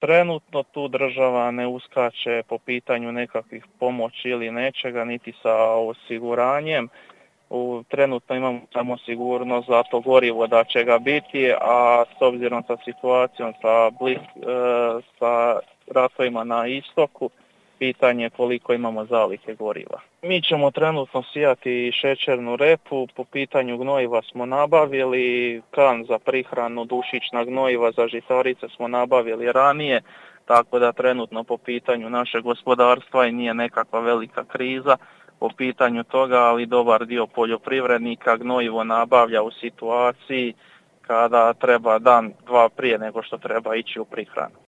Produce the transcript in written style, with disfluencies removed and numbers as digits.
Trenutno tu država ne uskače po pitanju nekakvih pomoći ili nečega, niti sa osiguranjem. Trenutno imamo samo sigurnost za to gorivo da će ga biti, a s obzirom sa situacijom sa ratovima na istoku, pitanje koliko imamo zalihe goriva. Mi ćemo trenutno sijati šećernu repu, po pitanju gnojiva smo nabavili, kan za prihranu, dušična gnojiva za žitarice smo nabavili ranije, tako da trenutno po pitanju našeg gospodarstva i nije nekakva velika kriza po pitanju toga, ali dobar dio poljoprivrednika gnojivo nabavlja u situaciji kada treba dan, dva prije nego što treba ići u prihranu.